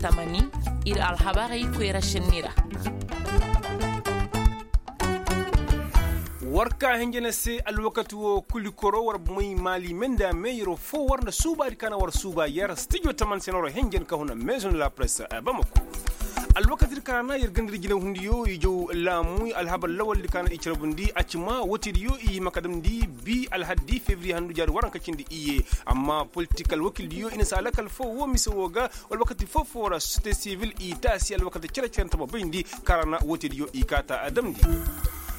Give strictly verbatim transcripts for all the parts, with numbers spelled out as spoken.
Tamani, ir alhabarey koyra šenni ra. War ka hinjina se alwakati wo kuli koro war bumey maali menda me yero fo war nda suubaadi ka na war suuba yer stijo taman se na war hinjin ka huna maison de la presse. Bamako alwakati di ka na yer gandiri jinahundiyo i jaw laamu alhabar lawaldi ka na i carbundi a ci ma wootediyo i hima ka damndi bi alhaddi febriye handu jaari waranka cindi iyye. Amma politik alwakildiyo i na si alakal fo wo mise wo ga wala wakati foo-foo ra sosiyete sivil i taasi alwakati cere-cere nta ma bayndi kaŋ ra na wootediyo i kaata a damndi.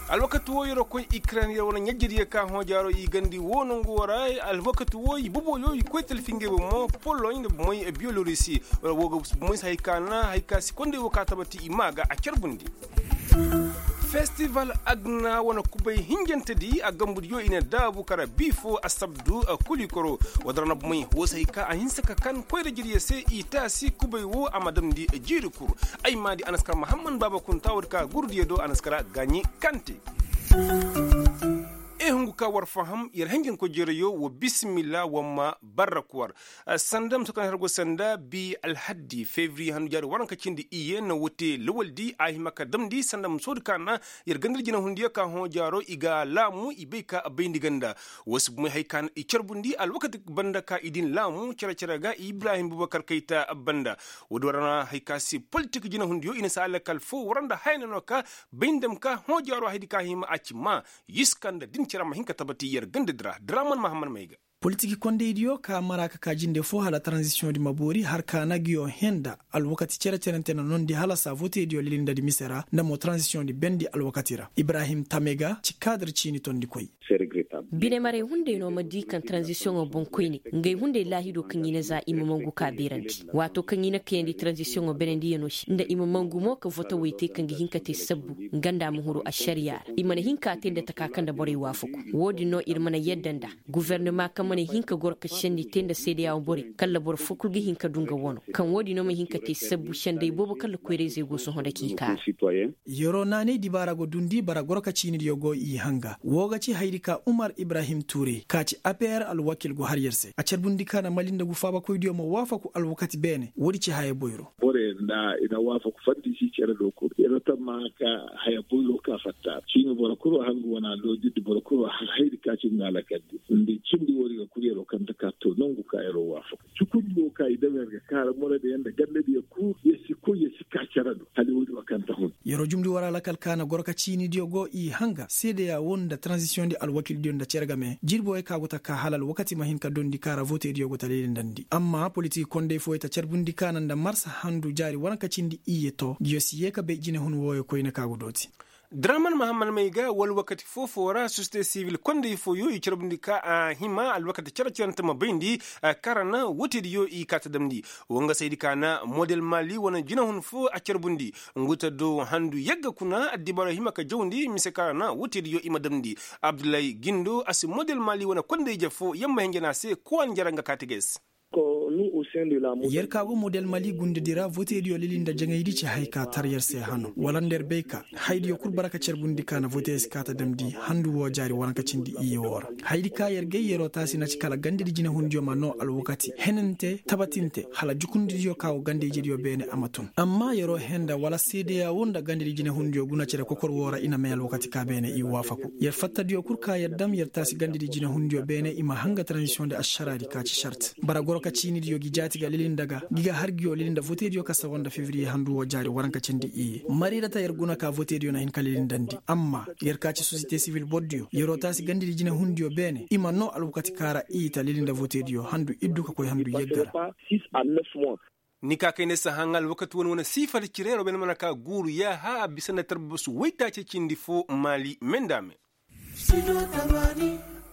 Alwakati woo yer'o koy ikren yer wane ɲajjediyo ka hõo jaaro i gandi woo nongu woo ra. Alwakati woo i boboyo i koy talfi ngey bomo poloɲ nda bomoy biyolorisi. Woo ga bomoy si hay ka na hay ka si kondey woo ka tabati i maa ga a carbundi. Festival agna wane kubay hinjantedi a gambudiyo i na daabu kara bii foo asabdu. Kulikoro woo da ra na bomey woo si hay ka a hinsa ka kan koyra jiriyo se i taasi kubay woo a ma damndi jiiri kul. Ay maadi a na si kara mahamman baaba kunta woodi ka gurdiyo do a na si kara gaaɲi kante. I hungu ka war faham yer hinjankoy jereyo wa bisimilla wa ma barrak war. Sanda muso kaŋ har go sanda bi alhaddi febriye handu jaari waranka cindi iyye na wote lawaldi a hima ka damndi sanda musoodi ka na yer gandar jinahundiyo ka hõ jaaro i ga laamu i bay ka bayndi ganda. Woo si bumey hay ka na i carbundi alwakati banda ka i din laamu cere-cere ga ibrahim bubakar kayta banda. Woodi war na hay ka si politik jinahundiyo i na si alakal foo war nda haya na no ka bayndi dam ka hõ jaaro haydi ka hima a ci maa. Yiska nda din cere ma hin ka tabati yer gandadi ra draman mahamman may ga. Politik kondaydiyo ka mara ka ka jinde foo hala taranzisiyoŋdi ma boori har ka na nguyo hẽe nda alwakati cere-cerente na nondi hala saa votediyo lilindadi mise ra nda mo taranzisiyoŋdi bendi alwakati ra ibrahim tamega ci kaadir ciini tondikoy. Binemaray hunday no ma di kaŋ taranzisiyoŋo boŋkoyne ngey hunday laahido kaŋ i na za i ma mangu ka beerandi. Waato kaŋ i na kayandi taranzisiyoŋo benendiyanoo se nda i ma mangu mo ka votawey te kaŋ ga hin ka te sabbu nga nda a ma huru ašariya ra i mana hin ka a te nda taka kaŋ nda borey waafaku. Woodin no ir mana yadda nda gofornama kaŋ mana hin ka goro ka sendi te nda seedeya borey kala boro foo kul ga hin ka du nga wano kaŋ woodin no ma hin ka te sabbu senday boobo kala koyrayzey go sohõ nda k'i kaara. Yeroo naanay dibaara go dundi bara goro ka ciinidiyo go i hanga woo ga ci hayadi ka umar ibrahim tuure ka ci apeer alwakil go har yer se a carbundi ka na mali nda gu faabakoydiyo ma waafaku alwakati beene woodi ci haya boyro. Borey nda i na waafaku faddi si cere do kul yer tamma ka haya boyro ka fatta ciini boro kul wo har ngu wana loojirdi boro kul wo har hayadi ka ci nga alakal di nda i cindi woodi ga kul yeroo kaŋ ta ka to nongu ka yeroo waafaku cukundi wo ka i daw yer ga kaara moradiyo nda gandadiyo kul yer si koy yer si ka cere do hala woodi wo kaŋ ta hun. Yeroo jumndi war alakal ka na goro ka ciinidiyo go i hanga seedeya woo nda taranzisiyoŋdi alwakildiyo nda cere game jirbi wey ka go ta ka hala alwakati ma hin ka dondi kaara votediyo go ta lilindandi amma politik konday fooyey ta carbundi ka na nda marsa handu jaari waranka cindi iyye to nguyo si yee ka bay jinehun wooyo koyne ka go dooti. Draman mahamman may ga wala wakati foo-foo ra sosiyete sivil konday fooyo i carbundi ka a hima alwakati cere-cerente ma bayndi kaŋ ra na wootediyo i kaa ta damndi. Woo nga saydi ka na model mali wane jinahun foo a carbundi ngu ta do handu yagga kuna addibaaro hima ka jawndi mise kaŋ ra na wootediyo i ma damndi. Abdullahi gindo a si model mali wane konday-ije foo yer ma hinja ne a se kowa na jara nga kaati ga yer se. Yer ka go model mali gundadi ra votediyo lili nda jaŋaydi ci haya ka tar yer se hano wala nda yer bay ka hayadiyo kul bara ka carbundi ka na vote si kaa ta damndi handu woo jaari waranka cindi iyye woo ra. Hayadi ka yer gay yeroo taasi na ci kala gandadi jinehundiyo ma noo alwakati henante tabatinte hala jukundidiyo ka go ganda-ijediyo beene a ma tun amma yeroo hee nda wala seedeya woo nda gandadi jinehundiyo guna cere kokor woo ra i na may alwakati ka beene i waafaku yer fattadiyo kul ka yer dam yer taasi gandadi jinehundiyo beene i ma hanga taranzisiyoŋdi ašaraadi ka ci šart bara goro ka ciinidiyo gi jaati ga lili nda ga gi ga har nguyo lili nda votediyo ka sawa nda febriye handu woo jaari waranka cindi iyye marirata yer guna ka votediyo na hin ka lilindandi amma yer ka ci sosiyete sivil bordiyo yeroo taasi gandadi jinehundiyo beene i ma noo alwakati ka ra i ta lili nda votediyo handu iddu ka koy handu yagga ra. Ni ka kay ne si haŋ alwakati wane wane siifar cire yeroo beene mana ka guuru yaaha a bisa nda tarbasu waytaaci cindi foo maali me nda a me.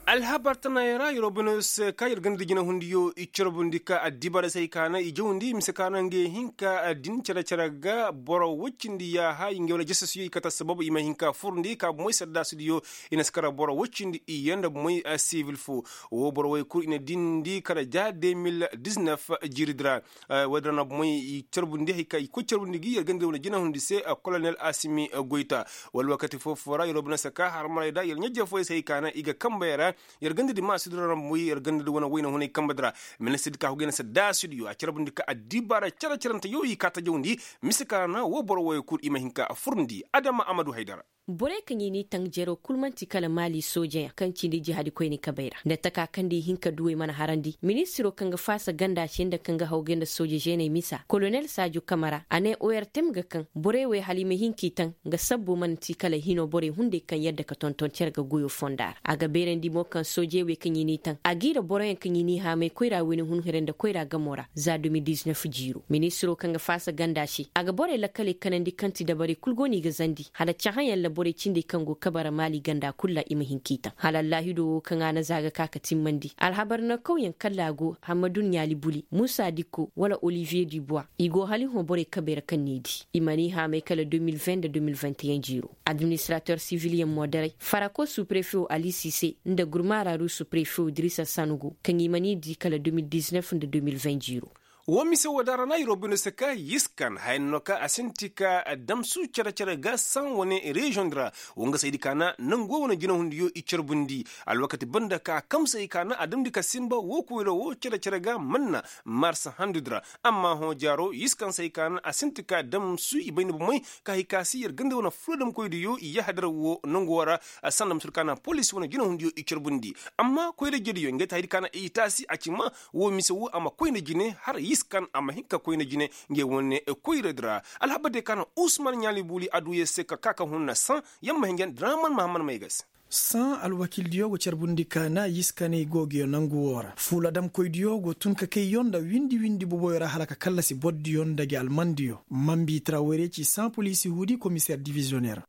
Alhabar tanaayoo ra yeroo beenoo se ka yer ganda jinahundiyo i carbundi ka addibaray se hay ka na i jawndi mise ka na ngey hin ka din cere-cere ga boro woy cindi yaaha i ngey wane jasasiyoo i kate assabab i ma hin ka furndi ka bomey saddaasidiyo i na si kara boro woy cindi iyye nda bomey sibil foo. Woo boro woy kul i na dindi kara ja de mil diznef jiiridi ra. Woodin ra na bomey i carbundi hay ka i koy carbundi gi yer ganda wane jinahundi se kolonel asimi goyta. Wala wakati foo-foo ra yeroo beenoo se ka har maray da yer ɲajje fooyey se hay ka na i ga kanbey ra. Yer ganda di ma si dura rambuy yer ganda di wane wayna hunay kamba di ra. Ministir di ka hugay na se daasi diyo a carbundi ka addibaara care carante yaw i ka tajawndi. Mise ka ra na woo boro wooyo kul i ma hin ka furndi adama amadu haydara. Borey kaŋ i n'i taŋ jeroo kul man'ti kala maali soojeyaŋ kaŋ cindi jihaadi koyni kabey ra nda taka kaŋ nda i hin ka duwey mana harandi ministiroo kaŋ ga faasa ganda se nda kaŋ ga hawgay nda sooje žeeney misa kolonel saajo kamara a ne ortem ga kaŋ borey wey hala i ma hin k'i taŋ. Nga sabbo mana ti kala hinoo borey hunday kaŋ yadda ka tonton cere ga goyoo fonda ra a ga beerandi mo kaŋ soojey wey kaŋ i n'i taŋ a g'i ra boroyaŋ kaŋ i n'i haamay koyra wayne hunherey nda koyra gamoo ra za de mil diznef jiiroo ministiroo kaŋ ga faasa ganda se a ga borey lakkaley kanandi kaŋ ti dabarey kul go no i ga zandi hala cahãyaŋ ra borey cindey kaŋ go kabe ra maali ganda kul ra i ma hin k'i taŋ hala allaahidoo woo kaŋ a na za ga ka ka timmandi alhabar nankawyaŋ kalla a go hammadu ɲaali buli muusa dikko wala oliviye di buwa i go hala i hõ borey kabey ra kaŋ n'i di i mana i haamay kala de mil vingt nda de mil vingt et un jiiroo. Administrater sivilyaŋ mo daray farako suprefewo ali sise nda gurmaaraaru suprefewo dirisa sanugo kaŋ i mana i di kala de mil diznef nda de mil vingt jiiroo. Woo mise woo da ra na yer woo bine se ka yiskan haya no ka a sinti ka damsu cere-cere ga saŋ wane reziyoŋ di ra. Woo nga saydi ka na nangu woo wane jinahundiyo i carbundi alwakati banda ka kamsay ka na a damndi ka sinba woo koyra woo cere-cere ga manna marsa handu di ra. Amma hõ jaaro yiskan say ka na a sinti ka damsu i bayndi bomey ka hay ka si yer ganda wane fuladamkoydiyo i yahadar woo nangu woo ra. Sanda ma si du ka na polis wane jinahundiyo i carbundi. Amma koyra jediyo ngey ti haydi ka na i taasi a ci ma woo mise woo a ma koy nda jine har yiskan a ma hin ka koy nda jine. Ngey wane koyra di ra alhabar diyo ka na usman ɲaali buuli a du yer se ka ka ka hun na saŋ yer ma hinjan draman mahammad may ga se. Saŋ alwakildiyo go carbundi ka na yiskaney go ga yo nangu woo ra fuuladamkoydiyo go tun ka kayyo nda windi windi boboyo ra hala ka kallasi bordiyo nda gi almandiyo. Mambi trawere ci saŋ poliisi huudi komiseer diviziyoneer.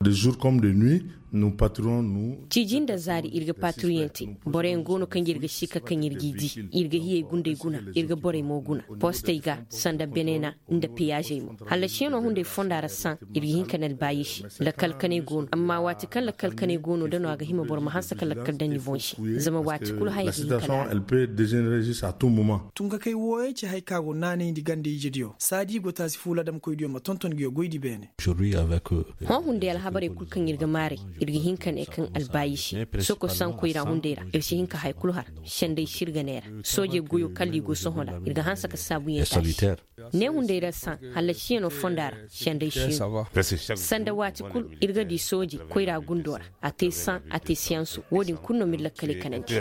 Ciiji nda zaari ir ga paaturiyaŋ te. Boroyaŋ go no kaŋ ir ga sika kaŋ ir g'i di. Ir ga hiyey gunday guna. Ir ga borey mo guna postey ga sanda benena nda peyaazey mo. Hallasiyaŋo hunday fonda ra saŋ ir ga hin ka na albaayisi. Lakkal kanay go no amma waati kaŋ lakkal kanay go no da no a ga hima boro ma hanse ka lakkal daŋ ni boŋ se. Zama waati kulu haya ga hin ka na. Tunkakey wooyey ci haya kaŋ a go naanayndi ganda ijediyo saadi i go taasi fuuladamkoydiyo ma tonton nguyo goydi beene. Hõ hunday alhabarey kul kaŋ ir ga maaray ir ga hin ka ne kaŋ albaayisi soko saŋ koyra hunday ra ir si hin ka haya kulu har. Senday sirga neera soojey goyo kalla i go sohõ ra ir ga hanse ka saabuyaŋ taasi. Ne hunday ra saŋ hallasiyaŋo fonda ra senday siino. Sanda waati kul ir ga di sooje koyra gundo ra a te saŋ a te siyanso wo-din kulu no ma ir lakkaley kanandi.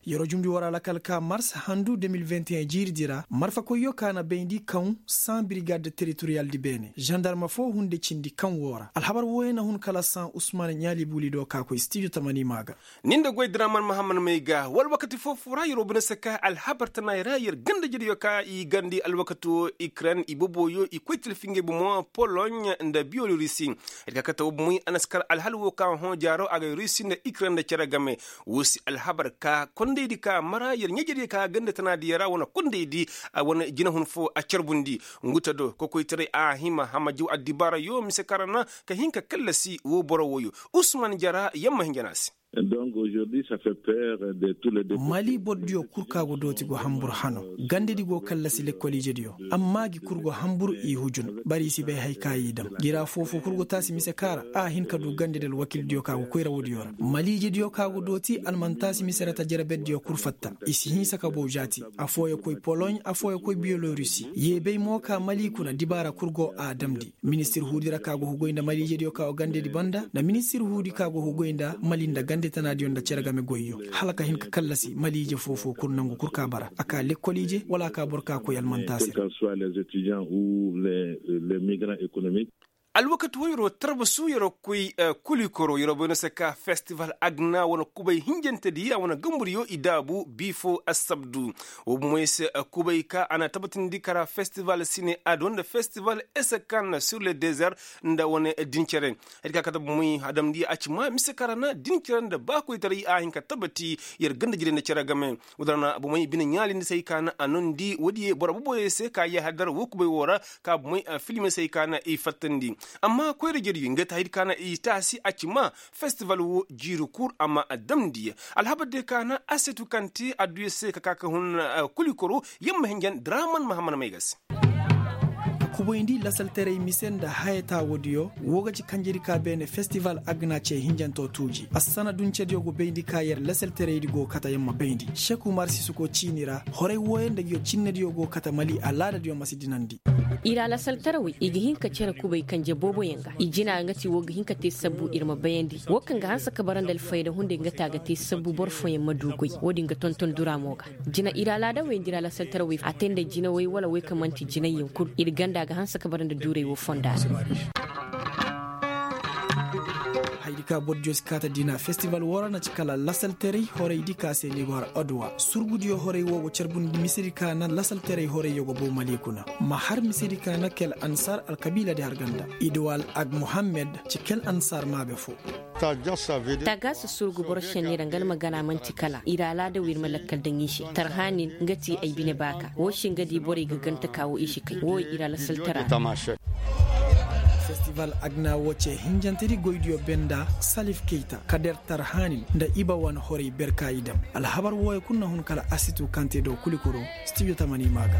Yeroo jumndi war alakal ka mars handu de mil vingt et un jiiridi ra marfakoyyo ka na bayndi kaŋ saŋ birigad teritoriyaldi beene zandarma foo hunde cindi kaŋ woo ra alhabar wooyo na hun kala saŋ usman ɲaali buuli do ka koy stijo tamani maa ga. Ni nda goy draman mahammad may ga wala wakati foo foo ra yeroo bine se ka alhabar tanaay ra yer ganda jediyo ka i gandi alwakati woo ikren i boboyo i koy tilfi ngey bomo poloɲ nda biyolorisi. Yer ka kate woo bomoy a na si kar alhal woo ka hõ jaaro a ga rusi nda ikren nda cere game. Woo si alhabar ka kondaydi ka mara yer ɲa jediyo ka ganda tanaadiyo ra wane kondaydi wane jinahun foo a carbundi. Ngu te do kokoytaray a hima hamajiw addibaarayo mise ka ra na ka hin ka kallasi woo boro wooyo. Usman jara yer ma hin jana se. Mali bordiyo kul ka go dooti go hanbur hano. Gandedi go kallasi lekkol ijediyo amma gi kul go hanbur i hujun. Bari i si bay hay ka i dam gi ra foofo kul go taasi mise ka ra a hin ka du gandedi alwakildiyo ka go koyra woodiyo ra mali ijediyo ka go dooti almantaasi mise ra tajarabeddiyo kul fatta. I si hinsa ka bow jaati. Afooyo koy poloɲ afooyo koy biyolorusi yeebay mo ka mali kuna dibaara kul go a damndi. Ministir huudi ra ka go hugoy nda mali ijediyo ka go gandedi banda nda ministir huudi ka go hugoy nda mali nda gande tanaadiyo nda cere game goyyo. Hala ka hin ka kallasi mali ije foofo kul nangu kul ka bara a ka lekkol ije wala a ka boro ka koy almanta se. Alwakati wo yeroo tarbasu yeroo koy kulikoroo yeroo bay no se ka festival agna wane kubay hinjantedi a wane gamburiyo i daabu bii foo assabdu. Woo bomoy se kubay ka a na tabatindi kara festival sine ado nda festival esekan sur le dezer nda wane dincere. Hay ka kate bomoy a damndi a ci ma mise kara na dincere nda baakoytaray a hin ka tabati yer ganda jire nda cere game. Woo da ra na bomoy bine ɲaalindi se hay ka na a nondi woodiyo boro boboyo se ka yahadar woo kubay woo ra ka bomoy filme se hay ka na i fattandi. Amma koyra jediyo ngey ti haydi ka na i taasi a ci ma festival woo jiiri kul a ma damndi. Alhabar diyo ka na asetu kaŋ te adduya se ka ka ka hun kulikoro yer ma hinjan draman mahammad may ga se. Kubayndi lasaltaray mise nda haya taawo diyo. Wo ga ci kanjedi ka beene festival agna ce hinjanto tuuji assana duncediyo go bayndi ka yer lasaltaraydi go kate yer ma bayndi seku marsisko ciini ra. Horay wooyo nda ngiyo cinnediyo go kate mali alaadadiyo ma si dinandi. I ra lasaltarawey i ga hin ka cere kubay kanje booboyaŋ ga i jina nga ti wo ga hin ka te sabbu ir ma bayandi wo kaŋ ga hanse ka bara nda alfayda hunday nga ti a ga te sabbu boro fooyaŋ ma du goy. Wo-din ga tonton dura mo ga jina ir alaadawey nda ir alasaltarawey a te nda jinawey wala wey kaŋ man'ti jinayyaŋ kul ir ganda ga hanse ka bara nda duuray wo fonda ra. Haydi ka boro diyo si kaata diina festival woo ra na ci kala lasaltaray horaydi ka se libar odwa surgudiyo horay woo go carbundi misedi ka na lasaltaray horayyo go boo mali kuna. Ma har misedi ka na kel ansar alkabiiladi har ganda idwal ag muhammed ci kel ansar maabe foo. Tagaasa surgu boro šenni ra nga alma gana man'ti kala ir alaada wo ir ma lakkal daŋ i se tarhaanin nga ti ay bine baaka woo se nga di borey ga ganta ka woo i si kay woo ir alasaltara. Festival agna woo ce hinjantedi goydiyo benda salif keyta kader tarhaanin nda iba wane horey berka i daŋ. Alhabar wooyo kul na hun kala asitu kante do kulikuro. Stijo tamani maa ga.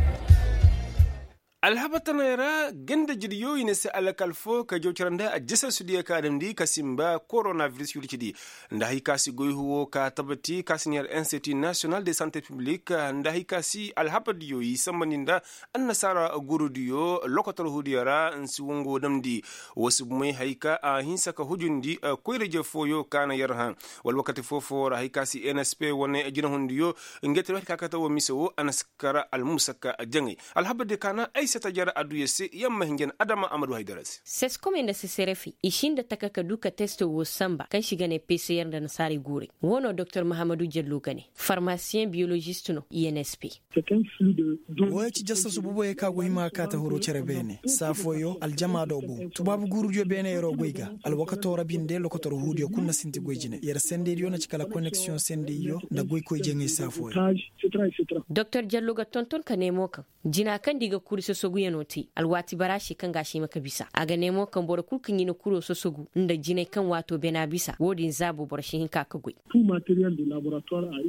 Alhabar tanay ra ganda jiryo i na se alakal foo ka jaw cara nda a jasa sudiya ka damndi ka simba koronaviris yurcidi nda hay ka si goy huwo ka tabati ka si neer institut national de sante piblik nda hay ka si alhabar diyo i sambandi nda annasaara gurudiyo lokotor hudiyo ra nsi wango damndi. Woo si bumey hay ka a hinsa ka hujundi koyra-je fooyo ka na yer hã wala wakati foo-foo ra hay ka si nsp wane jinahundiyo ngey te wayte ka kate woo mise woo a na si kar almusaka jaŋay. Alhabar diyo ka na ay se taja ra adduya se yer ma hin jana adama a ma du haydara se. Seskomey nda seserefey i si nda taka ka du ka teste woo samba kaŋ se i ga ne pcr nda nasaarey guurey. Woo no doktor mahamadu jallo ga ne farmasiyeŋ biyolozist no i n s p. Wooyo ci jasasu boboyey kaŋ a go hima ka kaate huru cere beene saa fooyo aljama do boŋ tubaabu guurudiyo beene yeroo goy ga. Alwakato ra binde lokotor huudiyo kul na sinti goy jine yer sendeydiyo na ci kala koneksiyoŋ sendeyyo nda goykoy jaŋay saa fooyo. Doktor jallo ga tonton ka ne mo kaŋ jina kaŋ nda i ga kuri sosoguyanoo te alwaati bara se kaŋ ga a si hima ka bisa a ga ne mo kaŋ boro kul kaŋ i na kuro sosogu nda jinay kaŋ waato bena bisa wo-din zaabo boro si hin ka ka goy.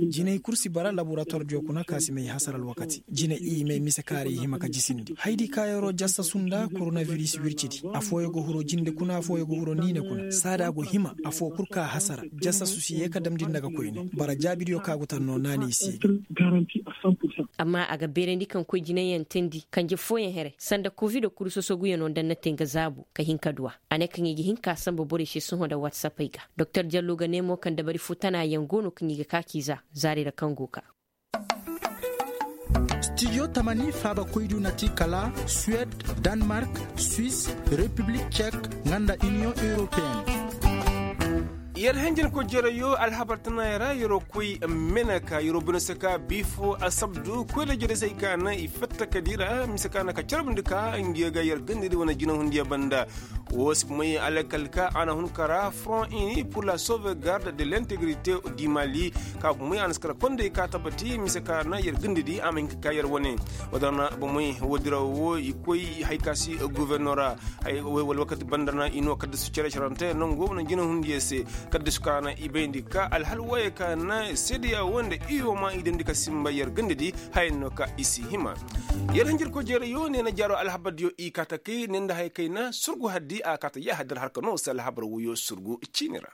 Jinay kul si bara laboratuwardiyo kuna ka si may hasara alwakati jinay i may mise kaara i hima ka jisindi haydi kaayaroo jasasu nda koronaviris wircidi. Afooyo go huro jinde kuna afooyo go huro niine kuna saada go hima afoo kul ka hasara. Jasasu si yee ka damndi nda ga koyne bara jaabidiyo ka go tan no naanay se. Amma a ga beerandi kaŋ koy jinayaŋ teendi kanje fooyaŋ here sanda kovido kuri sosoguyaŋo nda na te nga zaabu ka hin ka du a. A ne kaŋ i ga hin ka samba borey se sohõ nda watsapey ga. Doktor jallo ga ne mo kaŋ dabari foo tana yaŋ go no kaŋ i ga ka k'i za zaari ra kaŋ go ka. Stijo tamani faabakoydu na ti kala suwed, danmark, swis, repiblik cek, nga nda iniyoŋ europeyen. Yer hanjankoy jerayoo alhabar tanaayoo ra yeroo koy meneka yeroo bine saka biifoo asabdu koy da jeresey ka na i fatta ka dira mise ka na ka carbundi ka ngiyo ga yer gandadi wane jinahundiyo banda. Woo si may alakal ka a na hun ka ra front uni pour la sauvegarde de l'integrité du mali. Ka bumey a na si kara kondey ka tabati mise ka na yer gandadi a ma hin ka ka yer wane. Woo dira na bumey woo dira woo i koy hay ka si guvernora. Wala wakati banda na i no kaddasu cere-cerante nangu wane jinahundiyo se. Kaddasu ka na i bayndi ka alhal wooyo ka na seedeya woo nda i wo ma i dandi ka simba yer gandadi. Haya no ka i si hima. Yer hanjirko jeerayo ne na jaaro alhabardiyo i kaata kay ne nda haya kay na surgu haddi a kaata yahadar harka no se alhabar woyo surgu ciini ra.